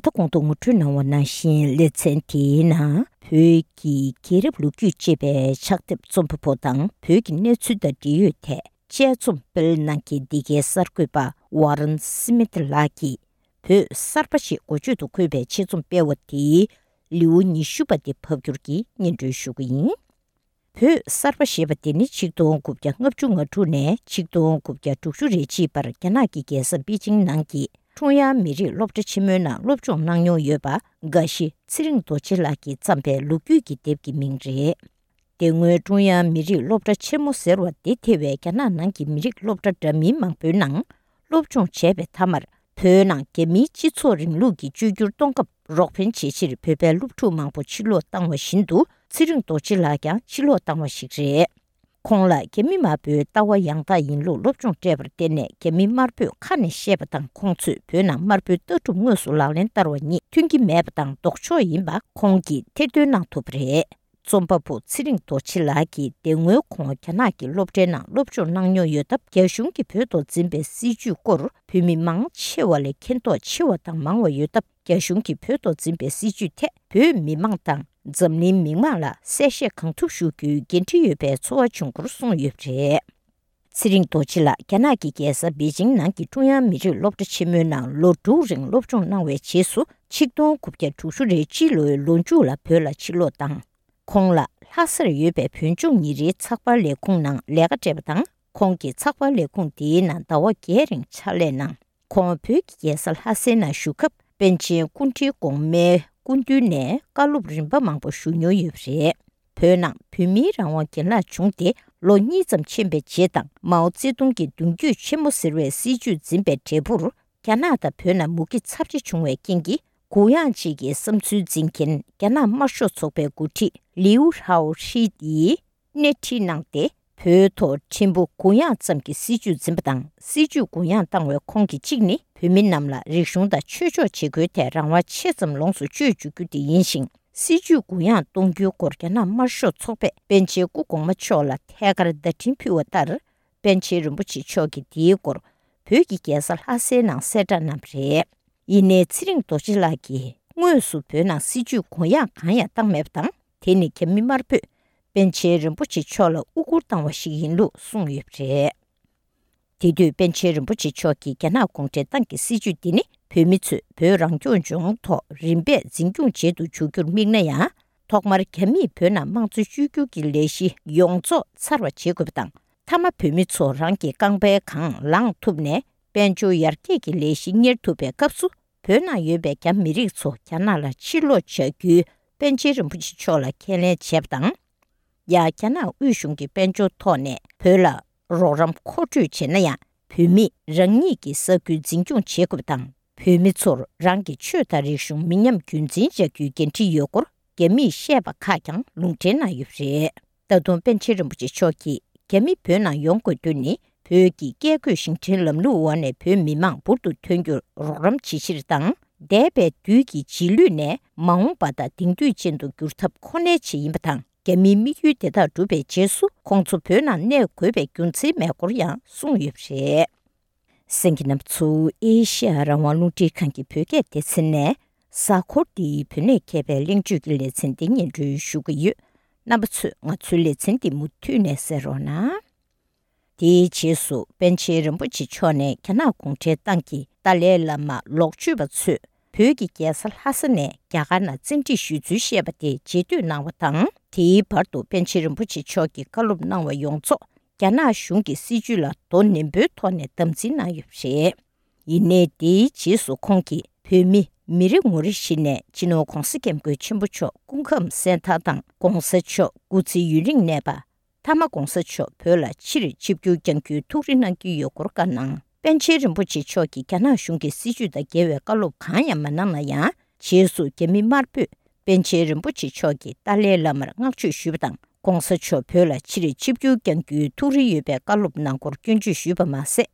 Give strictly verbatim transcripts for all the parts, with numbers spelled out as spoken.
ད་གོང་དུ་ངོ་སྤྲོད་གནང་བ་ནང་བཞིན། ལེ་ཚན་དེའི་ནང་བོད་ཀྱི་རྒྱལ་རབས་ལོ་རྒྱུས་ཅེས་པའི་ཕྱག་དེབ་རྩོམ་པ་པོ་དང་བོད་ཀྱི་གནས་ཚུལ་དང་འབྲེལ་ཡོད་ཐད་དཔྱད་རྩོམ་སྤེལ་གནང་མཁན་འདི་གའི་གསར་འགོད་པ་ཝ་རན་སི་མིད་ལགས་ཀྱིས་བོད་གསར་པ་ཞེས་འགོ་བརྗོད་དུ་འཁོད་པའི་ཆེད་རྩོམ་སྤེལ་བ་དེའི་ལེའུ་ཉི་ཤུ་པ་དེ་ཕབ་བསྒྱུར་གྱིས་སྙན་སྒྲོན་ཞུ་གི་ཡིན། བོད་གསར་པ་ཞེས་པ་དེ་ནི་ཆིག་སྟོང་དགུ་བརྒྱ་ལྔ་བཅུ་ང་དྲུག་ནས་ཆིག་སྟོང་དགུ་བརྒྱ་དྲུག་ཅུ་རེ་གཅིག་བར་རྒྱ་ནག་གི་རྒྱལ་ས་པེ་ཅིང་ནང་གི་ཀྲུང་དབྱང་མི་རིགས་སློབ་གྲྭ་ཆེན་མོའི་ནང་སློབ་སྦྱོང་གནང་མྱོང་ཡོད་པ། དགའ་བཞི་ཚེ་རིང་རྡོ་རྗེ་ལགས་ཀྱིས་བརྩམས་པའི་ལོ་རྒྱུས་ཀྱི་དེབ་ཀྱི་མིང་རེད། དེ་སྔོན་ཀྲུང་དབྱང་མི་རིགས་སློབ་གྲྭ་ཆེན་མོ་ཟེར་བ་དེ་ཐེ་བའི་རྒྱ་ནག་ནང་གི་མི་རིགས་སློབ་གྲྭ་འདྲ་མིན་མང་པོའི་ནང་སློབ་སྦྱོང་བྱས་པའི་མཐའ་མར། བོད་ནང་རྒྱ་མིའི་སྤྱི་ཚོགས་རིང་ལུགས་ཀྱི་བཅོས་བསྒྱུར་གཏོང་སྐབས་རོགས་ཕན་བྱེད་ཕྱིར་བོད་པའི་སློབ་ཕྲུག་མང་པོ་ཕྱིར་ལོག་བཏང་བ་བཞིན་དུ། ཚེ་རིང་རྡོ་རྗེ་ལགས་ཀྱང་ཕྱིར་ལོག་བཏང་བ་ཞིག་རེད། ཁོང་ལ་རྒྱ་མི་དམར་པོའི་ལྟ་བ་ཡང་དག་ཡིན་ལུགས་སློབ་སྦྱོང་སྤྲད་པར་བརྟེན་ནས། རྒྱ་མི་དམར་པོས་ཁ་ནས་བཤད་པ་དང་། ཁོང་ཚོས་བོད་ནང་དམར་པོའི་ལྟ་གྲུབ་དངོས་སུ་ལག་ལེན་བསྟར་བ་གཉིས་མཐུན་གྱི་མེད་པ་དང་ལྡོག་ཕྱོགས་ཡིན་པ་ཁོང་གིས་ཐེར་འདོན་གནང་ཐུབ་པ་རེད། རྩོམ་པ་པོ་ཚེ་རིང་རྡོ་རྗེ་ལགས་ཀྱིས། དེ་སྔོན་ཁོང་རྒྱ་ནག་གི་སློབ་གྲྭའི་ནང་སློབ་སྦྱོང་གནང་མྱོང་ཡོད་སྟབས། རྒྱ་གཞུང་གིས་བོད་ཐོག་འཛིན་པའི་སྲིད་བྱུས་སྐོར་བོད་མི་མང་ཆེ་བ་ལས་མཁྱེན་རྟོགས་ཆེ་བ་དང་མང་བ་ཡོད་སྟབས། རྒྱ་གཞུང་གིས་བོད་ཐོག་འཛིན་པའི་སྲིད་བྱུས་ཐད་བོད་མི་མང་དང་འཛམ་གླིང་མི་མང་ལ་གསལ་བཤད་གང་ཐུབ་ཞུ་རྒྱུའི་འགན་འཁྲི་ཡོད་པའི་ཚོར་བ་བྱུང་སྐོར་གསུངས་ཡོད་པ་རེད། ཚེ་རིང་རྡོ་རྗེ་ལགས་རྒྱ་ནག་གི་རྒྱལ་ས་པེ་ཅིང་ནང་གི་ཀྲུང་དབྱང་མི་རིགས་སློབ་གྲྭ་ཆེན་མོའི་ནང་ལོ་དྲུག་རིང་སློབ་སྦྱོང་གནང་བའི་རྗེས་སུ། ཆིག་སྟོང་དགུ་བརྒྱ་དྲུག་ཅུ་རེ་གཅིག་ལོའི་ལོ་མཇུག་ལ་བོད་ལ་ཕྱིར་ལོག་བཏང་། ཁོང་ལ་ལྷ་སར་ཡོད་པའི་བོད་ལྗོངས་ཉིན་རེའི་ཚགས་པར་ལས་ཁུངས་ནང་ལས་ཀ་སྤྲད་པ་དང་། ཁོང་གིས་ཚགས་པར་ལས་ཁུངས་དེའི་ནང་ཟླ་བ་བརྒྱད་རིང་ཕྱག་ལས་གནང་། ཁོང་བོད་ཀྱི་རྒྱལ་ས་ལྷ་སའི་ནང་བཞུགས་སྐབས། པཎ་ཆེན་སྐུ་ཕྲེང་གོང་མའི་སྐུ་མདུན་ནས་བཀའ་སློབ་རིམ་པ་མང་པོ་ཞུ་མྱོང་ཡོད་པ་རེད། བོད་ནང་བོད་མིའི་རང་དབང་གྱེན་ལངས་བྱུང་སྟེ་ལོ་གཉིས་ཙམ་ཕྱིན་པའི་རྗེས་དང་། མའོ་ཙེ་ཏུང་གིས་མདུན་སྐྱོད་ཆེན་མོ་ཟེར་བའི་སྲིད་བྱུས་འཛིན་པའི་འབྲས་བུར། རྒྱ་ནག་དང་བོད་ནང་མུ་གེ་ཚབས་ཆེ་བྱུང་བའི་རྐྱེན་གྱིས། གུ་ཡངས་བཅས་ཀྱི་བསམ་ཚུལ་འཛིན་མཁན་རྒྱ་ནག་དམར་ཤོག་ཚོགས་པའི་འགོ་ཁྲིད་ལིའུ་ཧའོ་ཧྲི་ཡིས་སྣེ་ཁྲིད་གནང་སྟེ། བོད་ཐོག་ཕྲན་བུ་གུ་ཡངས་ཙམ་གྱི་སྲིད་བྱུས་འཛིན་པ་དང་། སྲིད་བྱུས་གུ་ཡངས་བཏང་བའི་ཁོངས་ཀྱི་གཅིག་ནི། བོད་མི་རྣམས་ལ་རིག་གཞུང་དང་ཆོས་ཕྱོགས་བྱེད་སྒོའི་ཐད་རང་དབང་ཆེ་ཙམ་ལོངས་སུ་སྤྱོད་བཅུག་རྒྱུ་དེ་ཡིན་ཞིང་། སྲིད་བྱུས་གུ་ཡངས་གཏོང་རྒྱུའི་སྐོར་རྒྱ་ནག་དམར་ཤོག་ཚོགས་པས་པཎ་ཆེན་སྐུ་གོང་མ་མཆོག་ལ་ཐད་ཀར་བརྡ་འཕྲིན་ཕུལ་བ་ལྟར། པཎ་ཆེན་རིན་པོ་ཆེ་མཆོག་གིས་དེའི་སྐོར་བོད་ཀྱི་རྒྱལ་ས་ལྷ་སའི་ནང་གསལ་བསྒྲགས་གནང་བ་རེད། ཡིན་ནའི་ཚེ་རིང་རྡོ་རྗེ་ལགས་ཀྱིས་དངོས་སུ་བོད་ནང་སྲིད་བྱུས་གུ་ཡངས་གང་ཡང་བཏང་མེད་པ་དང་། དེ་ནི་རྒྱ་མི་དམར་པོས་པཎ་ཆེན་རིན་པོ་ཆེ་མཆོག་ལ་དབུ་བསྐུར་བཏང་བ་ཞིག་ཡིན་ལུགས་གསུངས་ཡོད་པ་རེད། དེ་དུས་པཎ་ཆེན་རིན་པོ་ཆེ་མཆོག་གིས་རྒྱ་ནག་གུང་ཁྲན་ཏང་གི་སྲིད་བྱུས་འདི་ནི་བོད་མི་ཚོས་བོད་རང་སྐྱོང་ལྗོངས་ཐོག་རིམ་པས་འཛིན་སྐྱོང་བྱེད་དུ་འཇུག་རྒྱུར་དམིགས་ན་ཡང་། ཐོག་མར་རྒྱ་མིས་བོད་ནང་དམངས་གཙོའི་བཅོས་བསྒྱུར་གྱི་ལས་གཞི་ཡོངས་རྫོགས་ཚར་བ་བྱེད་དགོས་པ་དང་། མཐའ་མ་བོད་མི་ཚོ་རང་གི་རྐང་པའི་སྒང་ལངས་ཐུབ་ནས། དཔལ་འབྱོར་ཡར་རྒྱས་ཀྱི་ལས་གཞི་གཉེར་ཐུབ་པའི་སྐབས་སུ། བོད་ནང་ཡོད་པའི་རྒྱ་མི་རིགས་ཚོ་རྒྱ་ནག་ལ་ཕྱིར་ལོག་བྱ་རྒྱུའི་པཎ་ཆེན་རིན་པོ་ཆེ་མཆོག་ལ་ཁས་ལེན་བྱས་པ་དང་། ཡང་རྒྱ་ནག་དབུས་གཞུང་གི་དཔལ་འབྱོར་ཐོག་ནས་བོད་ལ་རོགས་རམ་མཁོ་སྤྲོད་བྱས་ན་ཡང་། བོད་མིས་རང་ཉིད་ཀྱི་ས་ཁུལ་འཛིན་སྐྱོང་བྱེད་དགོས་པ་དང་། བོད་མི་ཚོར་རང་གི་ཆོས་དང་རིག་གཞུང་མི་ཉམས་རྒྱུན་འཛིན་བྱ་རྒྱུའི་འགན་འཁྲི་ཡོད་སྐོར་རྒྱ་མིས་བཤད་པ་ཁག་ཀྱང་ལུང་འདྲེན་གནང་ཡོད་པ་རེད། ད་དུང་པཎ་ཆེན་རིན་པོ་ཆེ་མཆོག་གིས། རྒྱ་མི་བོད་ནང་ཡོང་དགོས་དོན་ནི། བོད་ཀྱི་བཀས་བཀོད་ཤིང་བྲན་ལམ་ལུགས་འོག་ནས་བོད་མི་མང་འབུར་དུ་ཐོན་རྒྱུར་རོགས་རམ་བྱེད་ཕྱིར་དང་། འདས་པའི་དུས་ཀྱི་རྗེས་ལུས་ནས་མ་འོངས་པ་དང་དེང་དུས་ཅན་དུ་འགྱུར་ཐབས་ཁོ་ནའི་ཆེད་ཡིན་པ་དང་། རྒྱ་མིའི་དམིགས་ཡུལ་དེ་དག་འགྲུབ་པའི་རྗེས་སུ། ཁོང་ཚོ་བོད་ནང་གནས་དགོས་པའི་རྒྱུ་མཚན་མེད་སྐོར་ཡང་གསུངས་ཡོད་པ་རེད། གསན་མཁན་རྣམ་པ་ཚོ། ཨེ་ཤེ་ཡ་རང་དབང་རླུང་འཕྲིན་ཁང་གི་བོད་སྐད་སྡེ་ཚན་ནས། གཟའ་འཁོར་འདིའི་བོད་གནས་མཁས་པའི་གླེང་བརྗོད་ཀྱི་ལེ་ཚན་འདི་སྙན་སྒྲོན་ཞུ་གི་ཡོད། རྣམ་པ་ཚོས་ང་ཚོའི་ལེ་ཚན་འདི་མུ་མཐུད་ནས་གསན་རོགས་གནང་། དེའི་རྗེས་སུ། པཎ་ཆེན་རིན་པོ་ཆེ་མཆོག་ནས་རྒྱ་ནག་གུང་ཁྲན་ཏང་གི་ཏཱ་ལའི་བླ་མ་ལོག་སྤྱོད་པ་ཚོས། བོད་ཀྱི་རྒྱལ་ས་ལྷ་ས་ནས་རྒྱ་གར་ནང་བཙན་ཁྲིད་ཞུས་ཚུལ་བཤད་པ་དེ་རྗེས་ཟློས་གནང་བ་དང་། དེའི་བར་དུ་པཎ་ཆེན་རིན་པོ་ཆེ་མཆོག་གིས་བཀའ་སློབ་གནང་བ་ཡོངས་རྫོགས། རྒྱ་ནག་གཞུང་གི་སྲིད་བྱུས་ལ་དོ་ནན་པོའི་ཐོག་ནས་དམ་འཛིན་གནང་ཡོད་པ་རེད། ཡིན་ནའི། དེའི་རྗེས་སུ་ཁོང་གིས་བོད་མི་མི་རེ་ངོ་རེ་བཞིན་ནས་སྤྱི་ནོར་༧གོང་ས་༧སྐྱབས་མགོན་ཆེན་པོ་མཆོག་སྐུ་ཁམས་གསལ་ཐང་དང་། ༧གོང་ས་མཆོག་སྐུ་ཚེ་ཡུན་རིང་གནས་པ། མཐའ་མ་༧གོང་ས་མཆོག་བོད་ལ་ཕྱིར་ཆིབས་བསྒྱུར་བསྐྱང་རྒྱུའི་ཐུགས་རེ་གནང་གི་ཡོད་སྐོར་བཀའ་གནང་། པཎ་ཆེན་རིན་པོ་ཆེ་མཆོག་གིས་རྒྱ་ནག་གཞུང་གི་སྲིད་བྱུས་དང་འགལ་བའི་བཀའ་སློབ་གང་ཡང་མ་གནང་ན་ཡང་། རྗེས་སུ་རྒྱ་མི་དམར་པོས་པཎ་ཆེན་རིན་པོ་ཆེ་མཆོག་གིས་ཏཱ་ལའི་བླ་མར་བསྔགས་བརྗོད་ཞུས་པ་དང་། ༧གོང་ས་མཆོག་བོད་ལ་ཕྱིར་ཆིབས་བསྒྱུར་བསྐྱང་རྒྱུའི་ཐུགས་རེ་ཡོད་པའི་བཀའ་སློབ་གནང་སྐོར་སྐྱོན་བརྗོད་ཞུས་པ་མ་ཟད།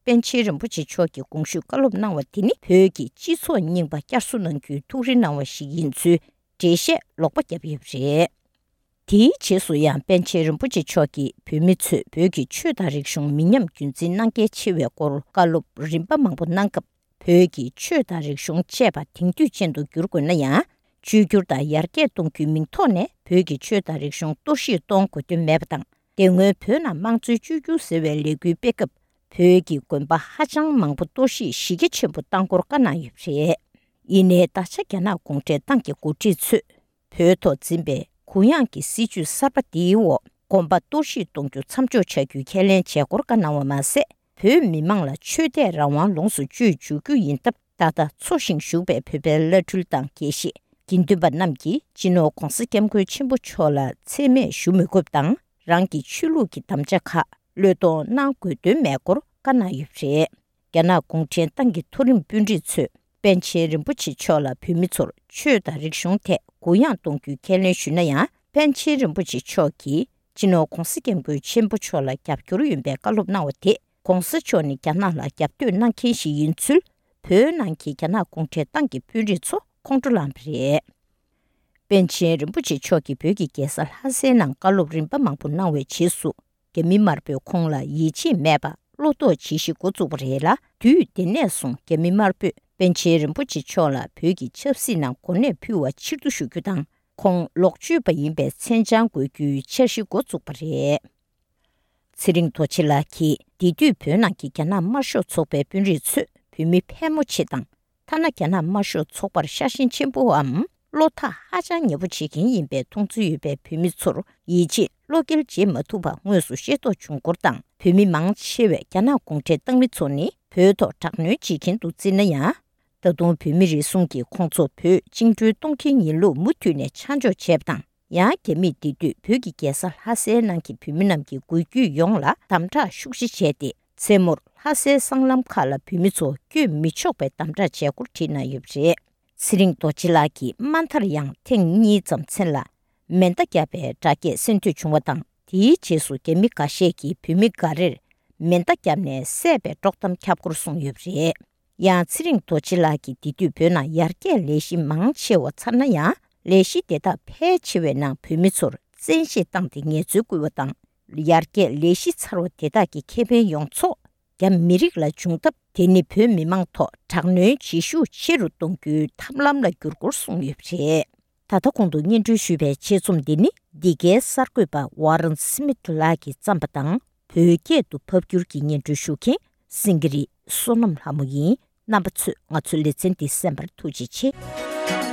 པཎ་ཆེན་རིན་པོ་ཆེ་མཆོག་གིས་གོང་ཞུས་བཀའ་སློབ་གནང་བ་དེ་ནི་བོད་ཀྱི་སྤྱི་ཚོགས་རྙིང་པ་བསྐྱར་གསོ་གནང་རྒྱུའི་ཐུགས་རེ་གནང་བ་ཞིག་ཡིན་ཚུལ་འགྲེལ་བཤད་ལོག་པ་བརྒྱབ་ཡོད་པ་རེད། དེའི་རྗེས་སུ་ཡང་པཎ་ཆེན་རིན་པོ་ཆེ་མཆོག་གིས་བོད་མི་ཚོས་བོད་ཀྱི་ཆོས་དང་རིག་གཞུང་མི་ཉམས་རྒྱུན་འཛིན་གནང་གལ་ཆེ་བའི་སྐོར་བཀའ་སློབ་རིམ་པ་མང་པོ་གནང་སྐབས། བོད་ཀྱི་ཆོས་དང་རིག་གཞུང་བཅས་པ་དེང་དུས་ཅན་དུ་བསྒྱུར་དགོས་ན་ཡང་། བཅོས་བསྒྱུར་དང་ཡར་རྒྱས་གཏོང་རྒྱུའི་མིང་ཐོག་ནས་བོད་ཀྱི་ཆོས་དང་རིག་གཞུང་གཏོར་བཤིག་གཏོང་དགོས་དོན་མེད་པ་དང་། དེ་སྔོན་བོད་ནང་དམངས་གཙོའི་བཅོས་བསྒྱུར་ཟེར་བའི་ལས་འགུལ་སྤེལ་སྐབས། བོད་ཀྱི་དགོན་པ་ཧ་ཅང་མང་པོ་གཏོར་བཤིག་གཞི་རྒྱ་ཆེན་པོ་བཏང་སྐོར་བཀའ་གནང་ཡོད་པ་རེད། ཡིན་ནའི་ད་ཆ་རྒྱ་ནག་གུང་ཁྲན་ཏང་གི་འགོ་ཁྲིད་ཚོས། བོད་ཐོག་འཛིན་པའི་གུ་ཡངས་ཀྱི་སྲིད་བྱུས་གསར་པ་འདིའི་འོག་དགོན་པ་གཏོར་བཤིག་གཏོང་རྒྱུ་མཚམས་འཇོག་བྱ་རྒྱུའི་ཁས་ལེན་བྱས་སྐོར་བཀའ་གནང་བ་མ་ཟད། བོད་མི་མང་ལ་ཆོས་དད་རང་དབང་ལོངས་སུ་སྤྱོད་འཇུག་རྒྱུ་ཡིན་སྟབས། ད་ལྟ་འཚོ་ཞིང་བཞུགས་པའི་བོད་པའི་བླ་སྤྲུལ་དང་དགེ་བཤེས། དགེ་འདུན་པ་རྣམས་ཀྱིས་སྤྱི་ནོར་༧གོང་ས་༧སྐྱབས་མགོན་ཆེན་པོ་མཆོག་ལ་མཚན་སྨད་ཞུ་མི་དགོས་པ་དང་། རང་གི་ཆོས་ལུགས་ཀྱི་དམ་བཅའ་ཁག་བློས་གཏོང་གནང་དགོས་དོན་མེད་སྐོར་བཀའ་གནང་ཡོད་པ་རེད། རྒྱ་ནག་གུང་ཁྲན་ཏང་གི་མཐོ་རིམ་དཔོན་རིགས་ཚོས་པཎ་ཆེན་རིན་པོ་ཆེ་མཆོག་ལ་བོད་མི་ཚོར་ཆོས་དང་རིག་གཞུང་ཐད་གུ་ཡངས་གཏོང་རྒྱུའི་ཁས་ལེན་ཞུས་ན་ཡང་། པཎ་ཆེན་རིན་པོ་ཆེ་མཆོག་གིས་སྤྱི་ནོར་༧གོང་ས་༧སྐྱབས་མགོན་ཆེན་པོ་མཆོག་ལ་རྒྱབ་སྐྱོར་ཡོད་པའི་བཀའ་སློབ་གནང་བ་དེ། ༸གོང་ས་མཆོག་ནི་རྒྱ་ནག་ལ་རྒྱབ་གཏོད་གནང་མཁན་ཞིག་ཡིན་ཚུལ། བོད་ནང་གི་རྒྱ་ནག་གུང་ཁྲན་ཏང་གི་དཔོན་རིགས་ཚོ་ཁོང་ཁྲོ་ལངས་པ་རེད། པཎ་ཆེན་རིན་པོ་ཆེ་མཆོག་གིས་བོད་ཀྱི་རྒྱལ་ས་ལྷ་སའི་ནང་བཀའ་སློབ་རིམ་པ་མང་པོ་གནང་བའི་རྗེས་སུ། རྒྱ་མི་དམར་པོས་ཁོང་ལ་ཡིད་ཆེས་མེད་པ་བློ་དོགས་བྱེད་གཞི་འགོ་བཙུགས་པ་རེད་ལ། དུས་དེ་ནས་བཟུང་རྒྱ་མི་དམར་པོས་པཎ་ཆེན་རིན་པོ་ཆེ་མཆོག་ལ་བོད་ཀྱི་ཆབ་སྲིད་ནང་གོ་གནས་ཕུལ་བ་ཕྱིར་བསྡུ་ཞུ་རྒྱུ་དང་། ཁོང་ལོག་སྤྱོད་པ་ཡིན་པའི་མཚན་བྱང་འགོད་རྒྱུའི་འཆར་གཞི་འགོ་བཙུགས་པ་རེད། ཚེ་རིང་རྡོ་རྗེ་ལགས་ཀྱིས། དེ་དུས་བོད་ནང་གི་རྒྱ་ནག་དམར་ཤོག་ཚོགས་པའི་དཔོན་རིགས་ཚོས་བོད་མི་ཕལ་མོ་ཆེ་དང་། ཐ་ན་རྒྱ་ནག་དམར་ཤོག་ཚོགས་པར་ཤ་ཞེན་ཆེན་པོའམ། བློ་ཐག་ཧ་ཅང་ཉེ་པོ་བྱེད་མཁན་ཡིན་པའི་མཐོང་ཚུལ་ཡོད་པའི་བོད་མི་ཚོར་ཡིད་ཆེས་བློ་འགེལ་བྱེད་མ་ཐུབ་པ་དངོས་སུ་ཤེས་རྟོགས་བྱུང་སྐོར་དང་། བོད་མི་མང་ཆེ་བས་རྒྱ་ནག་གུང་ཁྲན་ཏང་མི་ཚོ་ནི་བོད་ཐོག་དྲག་གནོན་བྱེད་མཁན་དུ་བརྩིས་ན་ཡང་། ད་དུང་བོད་མི་རེ་ཟུང་གིས་ཁོང་ཚོ་བོད་བཅིངས་འགྲོལ་གཏོང་མཁན་ཡིན་ལུགས་མུ་མཐུད་ནས་ཆ་འཇོག་བྱས་པ་དང་། ཡང་རྒྱ་མིས་དེ་དུས་བོད་ཀྱི་རྒྱལ་ས་ལྷ་སའི་ནང་གི་བོད་མི་རྣམས་ཀྱི་འགུལ་སྐྱོད་ཡོངས་ལ་དམ་དྲག་ཤུགས་ཆེ་བྱས་ཏེ། མཚན་མོར་ལྷ་སའི་སྲང་ལམ་ཁག་ལ་བོད་མི་ཚོ་བསྐྱོད་མི་ཆོག་པའི་དམ་དྲག་བྱས་སྐོར་བྲིས་གནང་ཡོད་པ་རེད། ཚེ་རིང་རྡོ་རྗེ་ལགས་ཀྱིས་མ་མཐར་ཡང་ཐེངས་གཉིས་ཙམ་མཚན་ལ་མེ་མདའ་བརྒྱབ་པའི་དྲག་སྐྱེད་གསན་ཐོས་བྱུང་བ་དང་། དེའི་རྗེས་སུ་རྒྱ་མི་འགའ་ཤས་ཀྱིས་བོད་མི་འགའ་རེར་མེ་མདའ་བརྒྱབ་ནས་བསད་པའི་དཀྲོག་གཏམ་ཁྱབ་སྐོར་གསུངས་ཡོད་པ་རེད། ཡང་ཚེ་རིང་རྡོ་རྗེ་ལགས་ཀྱིས་དེ་དུས་བོད་ནང་ཡར་རྒྱས་ལས་གཞི་མང་ཆེ་བ་ཚར་ན་ཡང་། ལས་གཞི་དེ་དག་ཕལ་ཆེ་བའི་ནང་བོད་མི་ཚོར་བཙན་ཤེད་བཏང་སྟེ་ངལ་རྩོལ་བསྐུལ་བ་དང་། ཡར་རྒྱས་ལས་གཞི་ཚར་བ་དེ་དག་གི་ཁེ་ཕན་ཡོངས་རྫོགས་རྒྱ་མི་རིགས་ལ་འབྱུང་སྟབས། དེ་ནི་བོད་མི་མང་ཐོག་དྲག་གནོན་བྱེད་ཤུགས་ཆེ་རུ་གཏོང་རྒྱུའི་ཐབས་ལམ་ལ་འགྱུར་སྐོར་གསུངས་ཡོད་པ་རེད། ད་ལྟ་གོང་དུ་སྙན་སྒྲོན་ཞུས་པའི་ཆེད་རྩོམ་འདི་ནི་འདི་གའི་གསར་འགོད་པ་ཝ་རན་སི་མིད་ལགས་ཀྱིས་བརྩམས་པ་དང་། བོད་སྐད་དུ་ཕབ་བསྒྱུར་གྱིས་སྙན་སྒྲོན་ཞུ་མཁན་སེང་གེ་རི་བསོད་ནམས་ལྷ་མོ་ཡིན། རྣམ་པ་ཚོས་ང་ཚོའི་ལེ་ཚན་འདི་གསན་པར་ཐུགས་རྗེ་ཆེ།